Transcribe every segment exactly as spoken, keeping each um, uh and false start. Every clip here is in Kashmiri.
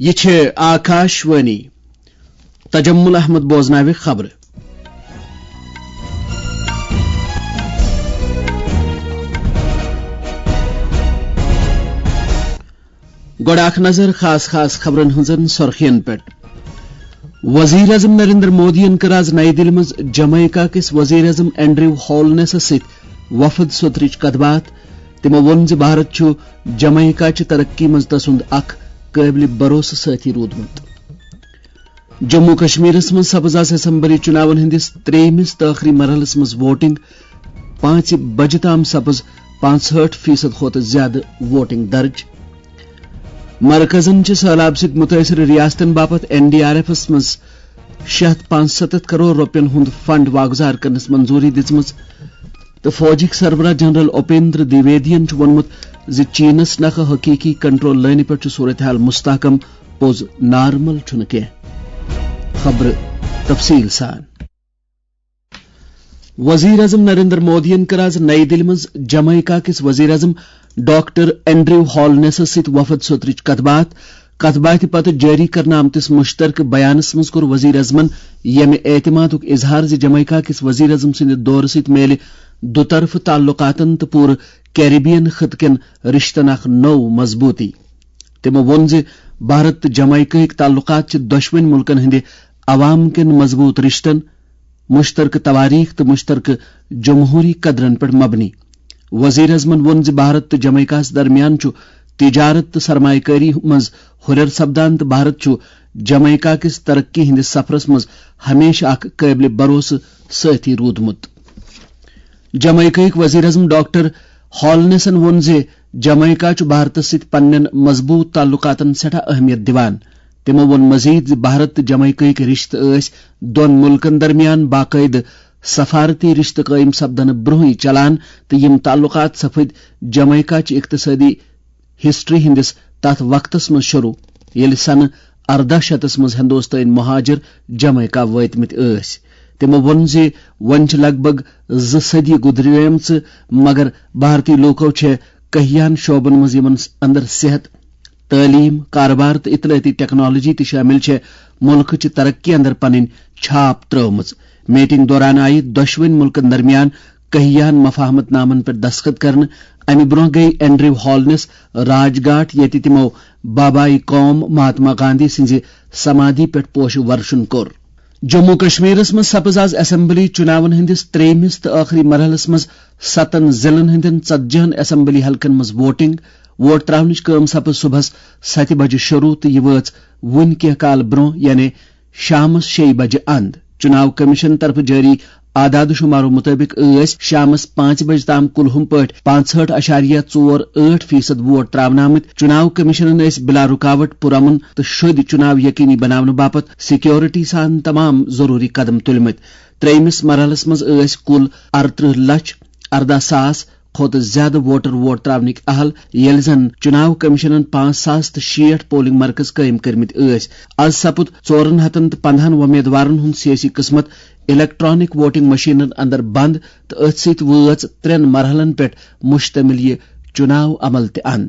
یہِ چھِ آکاشوانی۔ تجمل احمد بوزناوِ خبرٕ۔ گۄڈٕ اکھ نظر خاص خاص خبرن ہٕنٛزن سرخین پٮ۪ٹھ۔ وزیر اعظم نریندر مودیَن کٔر آز نئی دِلہِ منٛز جمیکا کِس وزیر اعظم اینڈریو ہالنیسَس سۭتۍ وفد سوترٕچ کتھ باتھ۔ تِمو ووٚن زِ بھارت چھُ جمیکا چہِ ترقی منٛز تسُنٛد اکھ قٲبلِ بھروسہٕ سٲتھی روٗدمُت۔ جموں کشمیرس منٛز سپٕز آز اسمبلی چُناون ہٕنٛدِس ترٛیٚیمِس تہٕ ٲخری مرحلس منٛز ووٹنگ۔ پانٛژِ بجہِ تام سپٕز پانٛژہٲٹھ فیصد کھۄتہٕ زیادٕ ووٹنگ درج۔ مرکزن چھِ سہلاب سۭتۍ مُتٲثر ریاستن باپتھ این ڈی آر ایفس منٛز شےٚ ہتھ پانٛژستتھ کرور رۄپین ہُنٛد فنڈ واگزار کرنس منظوٗری دِژمٕژ۔ تہٕ فوجٕکۍ سربراہ جنرل اپیندر دویدین چھُ ووٚنمُت زِ چینس نکھٕ حقیقی کنٹرول لٲنہِ پٮ۪ٹھ چھُ صورتحال مستحکم، پوٚز نارمل چھُنہٕ کینٛہہ۔ خبرٕ تفصیل سان۔ وزیر اعظم نریندر مودیَن کٔر آز نئی دِلہِ منٛز جمیکا کِس وزیر اعظم ڈاکٹر اینڈریو ہالنیسَس سۭتۍ وفد سوترٕچ کتھ باتھ۔ کتھ باتھِ پتہٕ جٲری کرنہٕ آمتِس مشترکہٕ بیانَس منٛز کوٚر وزیر اعظمَن ییٚمہِ اعتمادُک اظہار زِ جمیکا کِس وزیر اعظم سٕنٛدِ دورٕ سۭتۍ میلہِ دُطرفہٕ تعلقاتَن تہٕ پوٗرٕ کیریبین خطہٕ کٮ۪ن رشتن اکھ نٔو مضبوٗطی۔ تِمَو ووٚن زِ بھارت تہٕ جمیکاہٕکۍ تعلقات چھِ دۄشوٕنۍ مُلکَن ہٕنٛدِ عوام کٮ۪ن مضبوٗط رشتن، مشترکہٕ تواریخ تہٕ مشترکہٕ جمہوری قدرن پٮ۪ٹھ مبنی۔ وزیر اعظمن ووٚن زِ بھارت تہٕ جمیکاہس درمیان چھُ تجارت تہٕ سرمایہ کٲری منٛز ہُرٮ۪ر سپدان تہٕ بھارت چھُ جمیکا کِس ترقی ہٕنٛدِس سفرس منٛز ہمیشہٕ اکھ قٲبلِ بھروسہٕ سٲتھی روٗدمُت۔ جمیکاہٕکۍ وزیر اعظم ڈاکٹر ہالنیسن ووٚن زِ جمیکا چھُ بھارتس سۭتۍ پننٮ۪ن مضبوٗط تعلقاتن سٮ۪ٹھاہ اہمیت دِوان۔ تِمو ووٚن مزید زِ بھارت تہٕ جمیکاہٕکۍ رشتہٕ ٲسۍ دۄن مُلکن درمیان باقٲعدٕ سفارتی رشتہٕ قٲیِم سپدنہٕ برونٛہٕے چلان تہٕ یِم تعلقات سپٕدۍ جمیکا چہِ اقتصٲدی ہسٹری ہٕنٛدِس تتھ وقتس منٛز شروع، ییٚلہِ سنہٕ ارداہ شیٚتس منٛز ہندوستٲنۍ مہاجر جمیکا وٲتمٕتۍ ٲسۍ۔ تِمو ووٚن زِ وۄنۍ چھِ لگ بھگ زٕ صدی گُزریمژٕ، مگر بھارتی لوٗکو چھےٚ کہیاہن شعبن منٛز، یِمن اندر صحت، تعلیم، کارٕبار تہٕ اطلاعاتی ٹیکنالوجی تہِ شٲمِل چھےٚ، مُلکہٕ چہِ ترقی اندر پنٕنۍ چھاپ ترٲومٕژ۔ میٹنگ دوران آیہِ دۄشوٕنۍ مُلکن درمیان کہیاہن مفاہمت نامن پٮ۪ٹھ دستخط کرنہٕ۔ امہِ برونٛہہ گٔیہِ اینڈریو ہالنس راج گھاٹ، ییٚتہِ تِمو بابائے قوم مہاتما گاندھی سٕنٛزِ سمادھی پٮ۪ٹھ پوشہٕ ورشن کوٚر۔ جموں کشمیرس منٛز سپٕز آز اسمبلی چُناون ہٕنٛدِس ترٛیٚیمِس تہٕ ٲخری مرحلس منٛز ستن ضلعن ہٕنٛدٮ۪ن ژتجی ہن اسمبلی حلقن منٛز ووٹنگ۔ ووٹ تراونٕچ کٲم سپٕز صبحس ستہِ بجہِ شروع تہٕ یہِ وٲژ وُنہِ کینٛہہ کال برونٛہہ، یعنی شامس شیٚیہِ بجہِ اند۔ چُناو کمیشن طرفہٕ جٲری اعداد و شمارو مُطٲبِق ٲسۍ شامس پانٛژِ بجہِ تام کُلہُم پٲٹھۍ پانٛژہٲٹھ اَشاریہ ژور ٲٹھ فیصد ووٹ تراونہٕ آمٕتۍ۔ چُناو کمیشنن ٲسۍ بلا رُکاوٹ، پُرامن تہٕ شوٚدۍ چُناو یقینی بناونہٕ باپتھ سیکورٹی سان تمام ضروٗری قدم تُلمٕتۍ۔ ترٛیٚیمِس مرحلس منٛز ٲسۍ کُل ارترٕہ لچھ ارداہ ساس کھۄتہٕ زیادٕ ووٹر ووٹ تراونٕکۍ اہل، ییٚلہِ زن چُناو کمیشنن پانٛژھ ساس تہٕ شیٹھ پولنگ مرکز قٲیِم کٔرمٕتۍ ٲسۍ۔ از سپُد ژورن ہتن تہٕ پندہن وۄمیدوارن ہُنٛد سیٲسی قٕسمت الیکٹرانک ووٹنگ مشینن اندر بند تہٕ أتھۍ سۭتۍ وٲژ ترٛٮ۪ن مرحلن پٮ۪ٹھ مشتمل یہِ چُناو عمل تہِ اند۔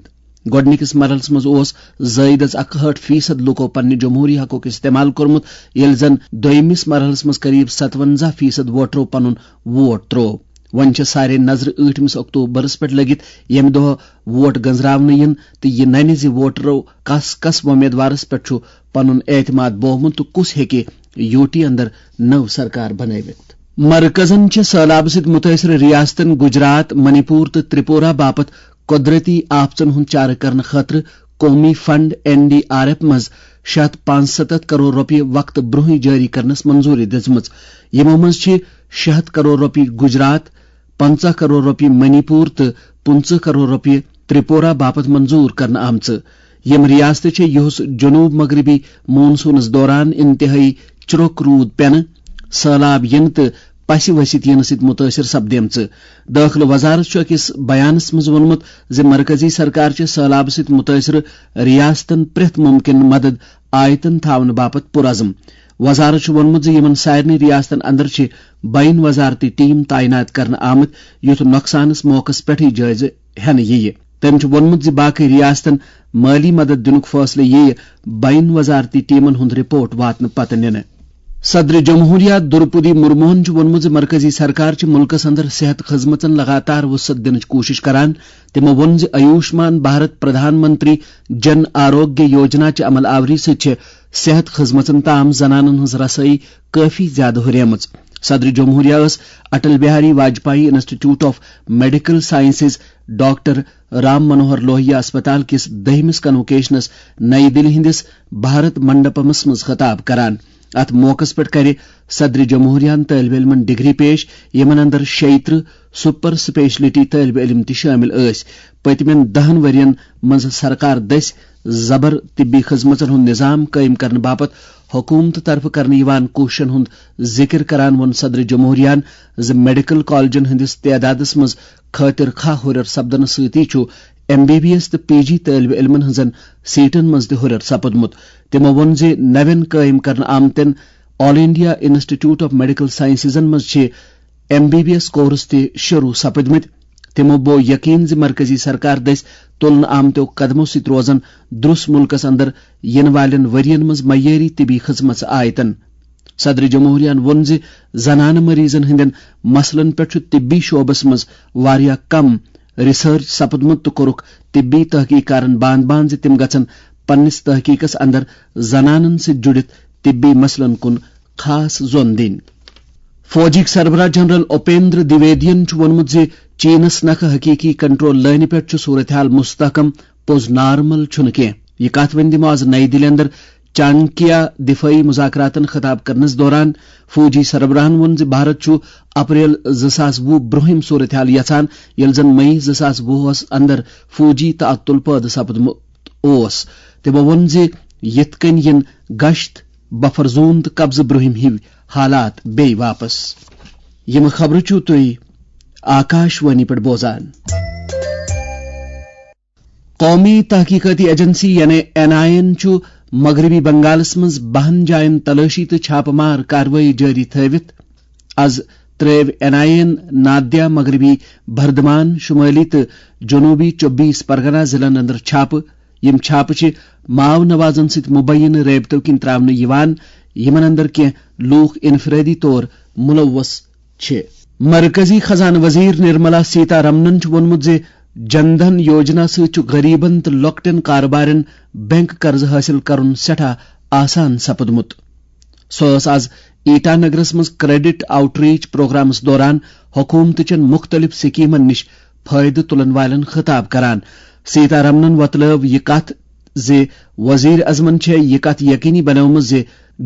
گۄڈٕنِکِس مرحلس منٛز اوس زٲیدٕ اکہٲٹھ فیصد لوٗکو پننہِ جمہوٗری حقُک استعمال کوٚرمُت، ییٚلہِ زن دوٚیمِس مرحلس منٛز قریب ستونزہ فیصد ووٹرو پنُن ووٹ تروو۔ وۄنۍ چھےٚ سارے نظرٕ ٲٹھمِس اکتوبرس پٮ۪ٹھ لٔگِتھ، ییٚمہِ دۄہ ووٹ گنزراونہٕ یِن تہٕ یہِ ننہِ زِ ووٹرو کس کس وۄمیدوارس پٮ۪ٹھ چھُ پنُن اعتماد بوومُت تہٕ کُس ہیٚکہِ یوٗ ٹی اندر نٔو سرکار بنٲوِتھ۔ مرکزن چھِ سٔہلابہٕ سۭتۍ مُتٲثر ریاستن گجرات، منی پور تہٕ ترپورہ باپتھ قۄدرٔتی آفژن ہُنٛد چارٕ کرنہٕ خٲطرٕ قومی fund N D R F منٛز شےٚ ہتھ پانٛژستتھ کرور رۄپیہِ وقتہٕ برونٛہٕے جٲری کرنس منظوٗری دِژمٕژ۔ یِمو منٛز چھِ شےٚ ہتھ کرور رۄپیہِ گجرات، پنٛژاہ کرور رۄپیہِ منی پور تہٕ پٕنٛژٕہ کرور رۄپیہِ ترپورہ باپتھ منظوٗر کرنہٕ آمژٕ۔ یِم ریاستہٕ چھےٚ یُہُس جنوب مغربی مون سونس دوران انتہٲئی چرٛوک روٗد پینہٕ، سٔہلاب یِنہٕ تہٕ پسہِ ؤسِتھ یِنہٕ سۭتۍ مُتٲثر سپدیمژٕ۔ دٲخلہٕ وزارت چھُ أکِس بیانَس منٛز ووٚنمُت زِ مرکزی سرکار چھِ سٔہلابہٕ سۭتۍ مُتٲثرٕ ریاستَن پرٛٮ۪تھ مُمکِن مدد آیتَن تھاونہٕ باپتھ پُرعزم۔ وزارت چھُ ووٚنمُت زِ یِمَن سارنٕے ریاستَن اندر چھِ بین وزارتی ٹیم تعینات کرنہٕ آمٕتۍ، یُتھ نۄقصانَس موقعَس پٮ۪ٹھٕے جٲیزٕ ہٮ۪نہٕ یِیہِ۔ تٔمۍ چھُ ووٚنمُت زِ باقٕے ریاستن مٲلی مدد دِنُک فٲصلہٕ یِیہِ بین وزارتی ٹیمن ہُنٛد رپورٹ واتنہٕ پتہٕ نِنہٕ۔ صدر جمہوریہ درپدی مرموہن چھُ ووٚنمُت زِ مرکزی سرکار چھِ مُلکس اندر صحت خدمژن لگاتار وسعت دِنٕچ کوٗشش کران۔ تِمو ووٚن زِ آیوشمان بھارت پردھان منتری جن آروگیہ یوجنا چہِ عمل آوری سۭتۍ چھِ صحت خدمژن تام زنانن ہٕنٛز رسٲیی کٲفی زیادٕ ہُریمٕژ۔ صدر جمہوریہ ٲس Atal Bihari Vajpayee institute of medical sciences, doctor Ram Manohar Lohia اسپتال کِس دٔہمِس کنوکیشنس نئی دِلہِ ہٕنٛدِس بھارت منڈپمس منٛز خطاب کران۔ اتھ موقعس پٮ۪ٹھ کرِ صدر جمہوریہن طٲلبہِ علمن ڈگری پیش، یِمن اندر شیٚیہِ ترٕٛہ سپر سپیشلٹی طٲلبہِ علم تہِ شٲمِل ٲسۍ۔ پٔتمٮ۪ن دَہن ؤرین منٛز سرکار دٔسۍ زبر طبی خدمژن ہُنٛد نظام قٲیِم کرنہٕ باپتھ حکوٗمتہٕ طرفہٕ کرنہٕ یِوان کوٗششن ہُنٛد ذِکر کران ووٚن صدر جمہوریہن زِ میڈیکل کالجن ہٕنٛدِس تعدادس منٛز خٲطر خواہ ہُرٮ۪ر سپدنہٕ سۭتی چھُ ایم بی بی ایس تہٕ پی جی طٲلبہِ علمن ہٕنٛزن سیٹن منٛز تہِ ہُرٮ۪ر سپُدمُت۔ تِمو ووٚن زِ نوٮ۪ن قٲیِم کرنہٕ آمتٮ۪ن all India institute of medical سائنسزن منٛز چھِ M B B S course تہِ شروع سپٕدمٕتۍ۔ تِمو بوو یقین زِ مرکزی سرکار دٔسۍ تُلنہٕ آمتیو قدمو سۭتۍ روزن درُس مُلکس اندر یِنہٕ والٮ۪ن ؤرین منٛز معیٲری طبی خدمژٕ آیتن۔ صدر جمہوریہن ووٚن زِ زنانہٕ مریضن ہٕنٛدٮ۪ن مسلن پٮ۪ٹھ چھُ طبی شعبس منٛز واریاہ کم ریسرچ سپُدمُت تہٕ کوٚرُکھ طبی تحقیق کارن باند باند زِ تِم گژھن پننِس تحقیقس اندر زنانن سۭتۍ جُڑِتھ طبی مسلن کُن خاص زون دِنۍ۔ فوجٕکۍ سربراہ جنرل اپیندر دویدین چھُ ووٚنمُت زِ چینس نکھٕ حقیقی کنٹرول لٲنہِ پٮ۪ٹھ چھُ صورتحال مستحکم، پوٚز نارمل چھُنہٕ کینٛہہ۔ یہِ کتھ ؤنۍ دِمو آز نئی دِلہِ اندر چانکیا دفٲعی مذاکراتن خطاب کرنس دوران۔ فوجی سربراہن ووٚن زِ بھارت چھُ اپریل زٕ ساس وُہ برٛونٛہِم صورتحال یژھان، ییٚلہِ زن مئی زٕ ساس وُہس اندر فوجی تعطل پٲدٕ سپُدمُت اوس۔ تِمو ووٚن زِ یِتھ کٔنۍ یِن گشت، بفر زون تہٕ قبضہٕ برٛونٛہِم ہِوۍ حالات بیٚیہِ واپس۔ یِم خبرٕ چھِو تُہۍ آکاش وانی پٮ۪ٹھ بوزان۔ قومی تحقیقاتی ایجنسی یعنی این آئی اے ہن چھُ مغربی بنگالس منٛز بَہَن جاین تلٲشی تہٕ چھاپہٕ مار کاروٲیی جٲری تھٲوِتھ۔ از ترٲوۍ این آئی اے ہن نادیا، مغربی بردھمان، شمٲلی تہٕ جنوبی چوبیس پرگنا ضلعن اندر چھاپہٕ۔ یِم چھاپہٕ چھِ ماو نوازن سۭتۍ مبینہٕ رٲبطو کِنۍ تراونہٕ یِوان، یِمن اندر کینٛہہ لوٗکھ انفرٲدی طور ملوث چھِ۔ مرکزی خزانہٕ وزیر نرملا سیتا رمنن چھُ ووٚنمُت زِ جن دھن یوجنا سۭتۍ چھُ غریبن تہٕ لۄکٹٮ۪ن کاربارٮ۪ن بینک قرضہٕ حٲصِل کرُن سٮ۪ٹھاہ آسان سپُدمُت۔ سۄ ٲس از ایٹا نگرس منٛز کریڈٹ آؤٹ ریچ پروگرامس دوران حکومتٕچن مُختٔلِف سکیمن نِش فٲیدٕ تُلن والٮ۪ن خطاب کران۔ سیتا رمنن وۄتلٲو یہِ کتھ زِ وزیر اعظمن چھےٚ یہِ کتھ یقینی بنٲومٕژ زِ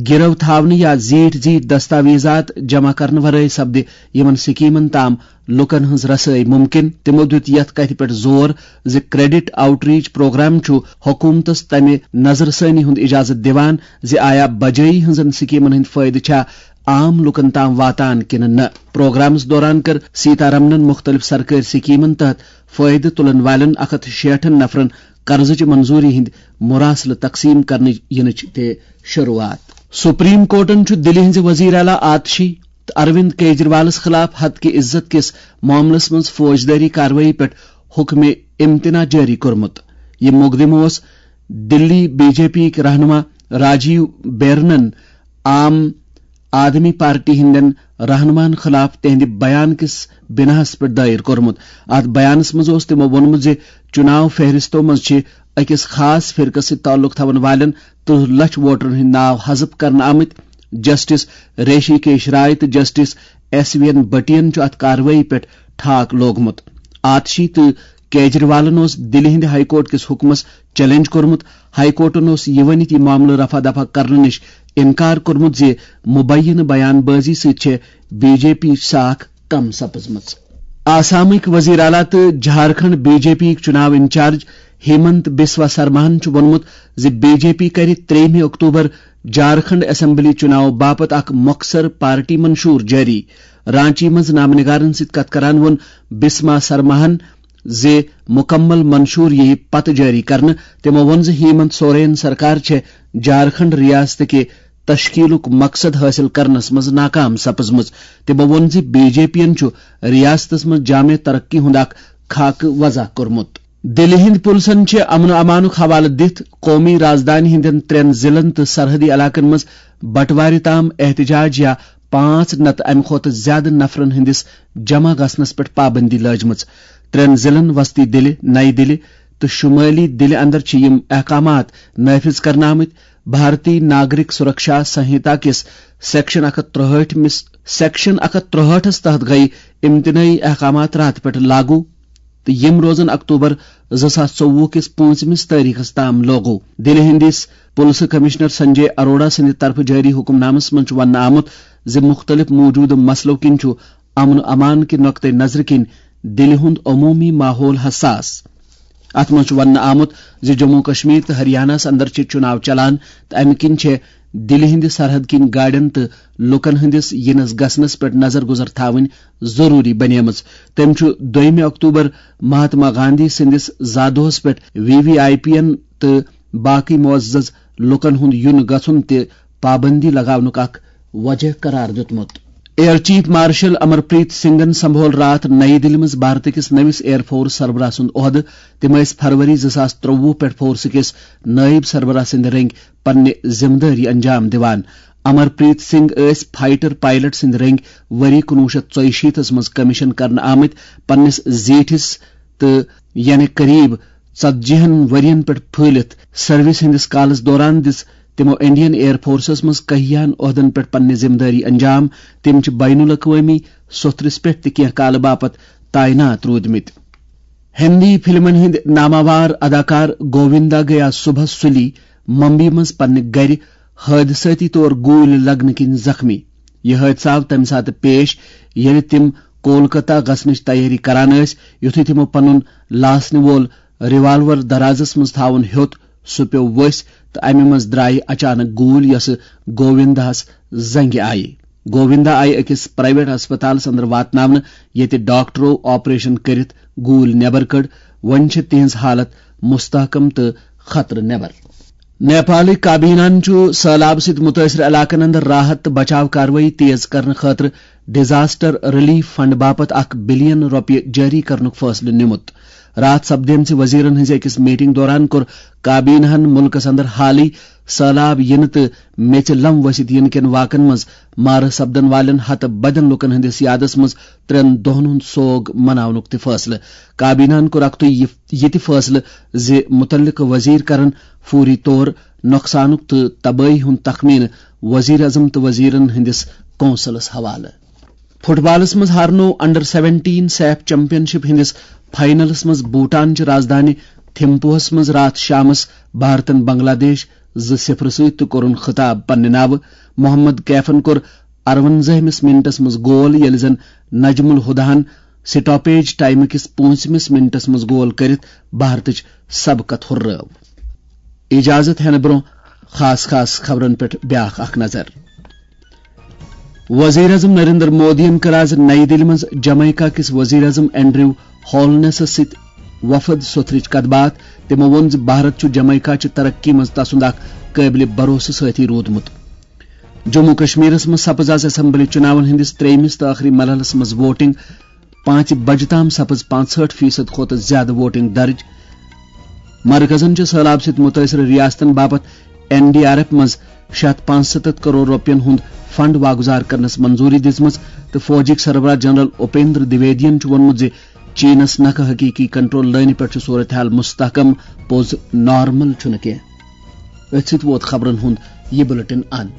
گِرو تھاونہٕ یا زیٖٹھۍ زیٖٹھۍ دستاویزات جمع کرنہٕ ورٲے سپدِ یِمن سکیمن تام لوٗکن ہٕنٛز رسٲیی مُمکِن۔ تِمو دِیُت یَتھ کَتھِ پٮ۪ٹھ زور زِ کریڈٹ آؤٹ ریچ پروگرام چھُ حکوٗمتَس تَمہِ نظر ثٲنی ہُنٛد اِجازت دِوان زِ آیا بجٲیی ہٕنٛزن سکیمن ہٕنٛدۍ فٲیدٕ چھا عام لوٗکن تام واتان کِنہٕ نہٕ۔ پروگرامَس دوران کٔر سیتا رمنَن مُختٔلِف سرکٲرۍ سکیمن تحت فٲیدٕ تُلَن والٮ۪ن اَکھ ہَتھ شیٹھن نفرَن قرضٕچ منظوٗری ہٕنٛدۍ مراسلہٕ تقسیٖم کرنہٕ یِنٕچ تہِ شروٗعات۔ سپریم کورٹَن چھُ دِلہِ ہٕنٛزِ وزیر اعلیٰ آتشی تہٕ اروند کیجریوالس خلاف ہتکہِ عزت کِس معاملس منٛز فوجدٲری کاروٲیی پٮ۪ٹھ حکمِ امتناع جٲری کوٚرمُت۔ یہِ مقدمہٕ اوس دِلی بی جے پی یِکۍ رہنما راجیو بیرنن عام آدمی پارٹی ہٕنٛدٮ۪ن رہنماہن خلاف تِہنٛدِ بیان کِس بناہس پٮ۪ٹھ دٲیر کوٚرمُت۔ اتھ بیانس منٛز اوس تِمو ووٚنمُت زِ چُناو فہرستو منٛز چھِ أکِس خاص فرقس سۭتۍ تعلق تھاون والٮ۪ن ترٕٛہ لچھ ووٹرن ہٕنٛدۍ ناو حذف کرنہٕ آمٕتۍ۔ جسٹس ریشی کیش رائے تہٕ جسٹس ایس وی این بٹین چھُ اتھ کاروٲیی پٮ۪ٹھ ٹھاک لوگمُت۔ آتشی تہٕ کیجریوالن اوس دِلہِ ہٕنٛدِ ہائی کورٹ کِس حُکمس چیلنج کوٚرمُت۔ ہائی کورٹن اوس یہِ ؤنِتھ یہِ معاملہٕ رفع دفع کرنہٕ نِش اِنکار کوٚرمُت زِ مبینہٕ بیان بٲزی سۭتۍ چھےٚ بی جے پی ساکھ کم سپٕزمٕژ۔ آسامٕکۍ وزیر اعلیٰ تہٕ جھارکھنڈ بی جے پی یِکۍ چُناو انچارج ہیمنت بسوا سرماہن چھُ ووٚنمُت زِ بی جے پی کرِ ترٛیٚیِمہِ اکتوبر جھارکھنڈ اسمبلی چُناو باپتھ اکھ مۄخصر پارٹی منشور جٲری۔ رانچی منٛز نامہ نگارن سۭتۍ کتھ کران ووٚن بسما سرماہن زِ مُکمل منشور یِیہِ پتہٕ جٲری کرنہٕ۔ تِمو ووٚن زِ ہیمنت سورین سرکار چھےٚ جھارکھنڈ ریاست کہِ تشکیلُک مقصد حٲصِل کرنس منٛز ناکام سپٕزمٕژ۔ تِمو ووٚن زِ بی جے پی یَن چھُ ریاستس منٛز جامع ترقی ہُنٛد اکھ خاکہٕ وضع کوٚرمُت۔ دِلہِ ہِنٛدۍ پُلسَن چھِ امن و امانُک حوالہٕ دِتھ قومی رازدانہِ ہِنٛدٮ۪ن ترٛٮ۪ن ضلعن تہٕ سرحدی علاقن منٛز بٹوارِ تام احتجاج یا پانٛژھ نتہٕ امہِ کھۄتہٕ زیادٕ نفرن ہٕنٛدِس جمع گژھنس پٮ۪ٹھ پابندی لٲجمٕژ۔ ترٛٮ۪ن ضلعن وسطی دِلہِ، نَیہِ دِلہِ تہٕ شُمٲلی دِلہِ اندر چھِ یِم احکامات نافذ کرنہٕ آمٕتۍ۔ بھارتی ناگرک سرکشا سنہتا کِس سیکشن اکھ ہتھ ترٛہٲٹھ مِس، سیکشن اکھ ہتھ ترٛہٲٹھس تحت گٔیہِ امتنٲعی احکامات راتہٕ پٮ۪ٹھ لاگو تہٕ یِم روزن اکتوبر زٕ ساس ژوٚوُہ کِس پٲنٛژمِس تٲریخس تام لاگو۔ دِلہِ ہٕنٛدِس پُلسہٕ کمشنر سنجے اروڑا سٕنٛدِ طرفہٕ جٲری حکم نامس منٛز چھُ وننہٕ آمُت زِ مُختٔلِف موٗجوٗدٕ مسلو کِنۍ چھُ امن و امان کہِ نقطہٕ نظرٕ کِنۍ دِلہِ ہُنٛد عموٗمی ماحول حساس۔ اتھ منٛز چھُ وننہٕ آمُت زِ جموں کشمیر تہٕ ہریانہس اندر چھِ چُناو چلان تہٕ امہِ کِنۍ چھےٚ دِلہِ ہٕنٛدِ سرحد کِنۍ گاڑٮ۪ن تہٕ لوٗکن ہٕنٛدِس یِنس گژھنس پٮ۪ٹھ نظر گُزر تھاوٕنۍ ضروٗری بنیمٕژ۔ تٔمۍ چھُ دوٚیمہِ اکتوبر مہاتما گاندھی سٕنٛدِس زا دۄہس پٮ۪ٹھ وی وی آئی پی ین تہٕ باقٕے معزز لوٗکن ہُنٛد یُن گژھُن تہِ پابندی لگاونُک اکھ وجہ قرار دیُتمُت۔ ایئر چیف مارشل امر پریت سنگھن سنبھول راتھ نئی دِلہِ منٛز بھارت کِس نٔوِس ایئر فورس سربراہ سُنٛد عہدٕ۔ تِم ٲسۍ فروری زٕ ساس ترٛوٚوُہ پٮ۪ٹھ فورس کِس نٲیِب سربراہ سٕنٛدِ رنٛگۍ پننہِ ذمہٕ دٲری انجام دِوان۔ امر پریت سنگھ ٲسۍ فائٹر پائلٹ سٕنٛدِ رنٛگۍ ؤری کُنوُہ شیٚتھ ژۄیہِ شیٖتس منٛز کمیشن کرنہٕ آمٕتۍ۔ پننِس زیٖٹھِس تہٕ یعنی قریب ژتجی ہن ؤرین پٮ۪ٹھ پھٲلِتھ سروس ہٕنٛدِس کالس دوران دِژ تِمو انڈین ایئر فورسس منٛز کہیاہن عہدن پٮ۪ٹھ پننہِ ذمہٕ دٲری انجام۔ تِم چھِ بین الاقوٲمی سوٚتھرِس پٮ۪ٹھ تہِ کینٛہہ کالہٕ باپتھ تعینات روٗدمٕتۍ۔ ہندی فلمن ہٕنٛدۍ ناماوار اداکار گووندا گیا صبحس سُلی ممبئی منٛز پننہِ گرِ حٲدثٲتی طور گوٗلۍ لگنہٕ کِنۍ زخمی۔ یہِ حٲدثہٕ آو تَمہِ ساتہٕ پیش، ییٚلہِ تِم کولکتہ گژھنٕچ تیٲری کران ٲسۍ، یُتھُے تِمو پنُن لاسنہٕ وول ریوالور درازس منٛز تھاوُن ہیوٚت، سُہ پیوٚو ؤسۍ تہٕ اَمہِ منٛز درٛایہِ اچانک گوٗلۍ، یۄسہٕ گووِنداہس زنٛگہِ آیہِ۔ گووندا آیہِ أکِس پرائیویٹ ہسپتالس اندر واتناونہٕ، ییٚتہِ ڈاکٹرو آپریشن کٔرِتھ گوٗلۍ نٮ۪بر کٔڈ۔ وۄنۍ چھِ تِہنٛز حالت مستحکم تہٕ خطرٕ نٮ۪بر۔ نیپالٕکۍ کابینہن چھُ سٔہلاب سۭتۍ مُتٲثر علاقن اندر راحت تہٕ بچاو کاروٲیی تیز کرنہٕ خٲطرٕ ڈیزاسٹر ریلیف فنڈ باپتھ اکھ بلین رۄپیہِ جٲری کرنُک فٲصلہٕ نیومُت۔ راتھ سپدیمژِ وزیرن ہٕنٛزِ أکِس میٹنگ دوران کوٚر کابینہن مُلکس اندر حالٕے سٔہلاب یِنہٕ تہٕ میٚژِ لم ؤسِتھ یِنہٕ کٮ۪ن واقعن منٛز مارٕ سپدن والٮ۪ن ہتہٕ بدٮ۪ن لوٗکن ہٕنٛدِس یادس منٛز ترٛٮ۪ن دۄہن ہُنٛد سوگ مناونُک تہِ فٲصلہٕ۔ کابینہن کوٚر اکتُے یہِ، یہِ تہِ فٲصلہٕ زِ مُتعلقہٕ وزیر کرن فوری طور نۄقصانُک تہٕ تبٲہی ہُنٛد تخمینہٕ وزیر اعظم تہٕ وزیرن ہٕنٛدِس کونسلس حوالہٕ۔ فٹ بالس منٛز ہارنوو انڈر سیونٹین سیف چیمپین شپ ہٕنٛدِس فائنلس منٛز بھوٹان چہِ رازدانہِ تھمپوہس منٛز راتھ شامس بھارتن بنگلہ دیش زٕ صفر سۭتۍ تہٕ کوٚرُن خطاب پننہِ ناوٕ۔ محمد کیفن کوٚر ارونزٲہمِس منٹس منٛز گول، ییٚلہِ زن نجم الہداہن سٹاپیج ٹائمہٕ کِس پٲنٛژمِس منٹس منٛز گول کٔرِتھ بھارتٕچ سبقت ہُررٲو۔ اجازت ہٮ۪نہٕ برٛونٛہہ خاص خاص خبرن پٮ۪ٹھ بیٛاکھ اکھ نظر۔ وزیر اعظم نریندر مودیَن کٔر آز نئی دِلہِ منٛز جمیکا کِس وزیر اعظم اینڈریو ہولنسس سۭتۍ وفد سوٚتھرٕچ کتھ باتھ۔ تِمو ووٚن زِ بھارت چھُ جمیکا چہِ ترقی منٛز تسُنٛد اکھ قٲبلِ بھروسہٕ سٲتھی روٗدمُت۔ جموں کشمیرس منٛز سپٕز آز اسمبلی چُناون ہٕنٛدِس ترٛیٚیمِس تہٕ ٲخری مرحلس منٛز ووٹنگ۔ پانٛژِ بجہِ تام سپٕز پانٛژہٲٹھ فیصد کھۄتہٕ زیادٕ ووٹنگ درج۔ مرکزن چھِ سٔہلاب سۭتۍ مُتٲثر ریاستن باپتھ این ڈی آر ایف منٛز شےٚ ہتھ پانٛژستتھ کرور رۄپین ہُنٛد فنڈ واگُزار کرنس منظوٗری دِژمٕژ تہٕ فوجٕکۍ سربراہ جنرل اُپیندر دویدین چھُ ووٚنمُت زِ چینس نکھٕ حقیقی کنٹرول لٲنہِ پٮ۪ٹھ چھُ صورتحال مستحکم، پوٚز نارمل چھُنہٕ کینٛہہ۔ أتھۍ سۭتۍ ووت خبرن ہُنٛد یہِ بلیٹن اند۔